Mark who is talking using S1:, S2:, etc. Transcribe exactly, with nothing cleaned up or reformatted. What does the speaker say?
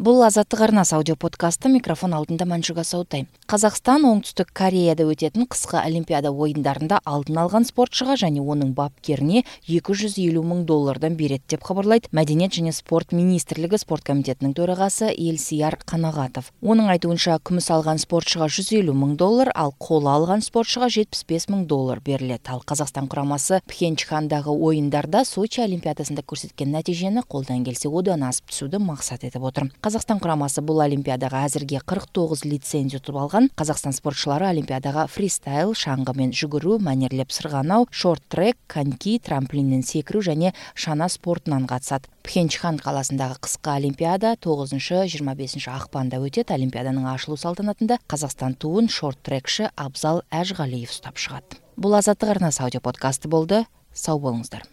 S1: Бул Азаттык арнасы аудио подкасты. Микрофон алдында Манжуга Саутай. Казакстан Оңтүстүк Кореяда өтетін кыска Олимпиада оюндарында алдын алган спортчуга және оның бапкерине эки жүз элүү миң доллардан берет деп кабарлайт Мәдениет және спорт министрлиги спорт комитетинин төрагасы Элсияр Канагатов. Оның айтуынча, күмүс алган спортчуга жүз элүү миң доллар, ал коло алган спортчуга жетимиш беш миң доллар берилет. Ал Казакстан курамасы Пхенчхандагы оюндарда Сочи Олимпиадасында көрсөткөн натыйжени колдон келсе одан асып түсүүдү максат этип отур. Казакстан курамасы бул Олимпиадага азырге кырк тогуз лицензия утуп алган. Казакстан спортчулары Олимпиадага фристайл, шаңгы менен жүгүрүү, манерлеп сырганоо, шорт-трек, коньки, трамплинден секирүү және шана спортунан катышат. Пхенчхан каласындагы кыска Олимпиада тогузунчу жыйырма бешинчи акпанда өтөт. Олимпиаданын ачылуу салтанатында Казакстан туун шорт-трекши Абзал Ажгалиев уктап чыгат. Бул Азаттык арнасы аудио подкасты болду. Сау болуңуздар.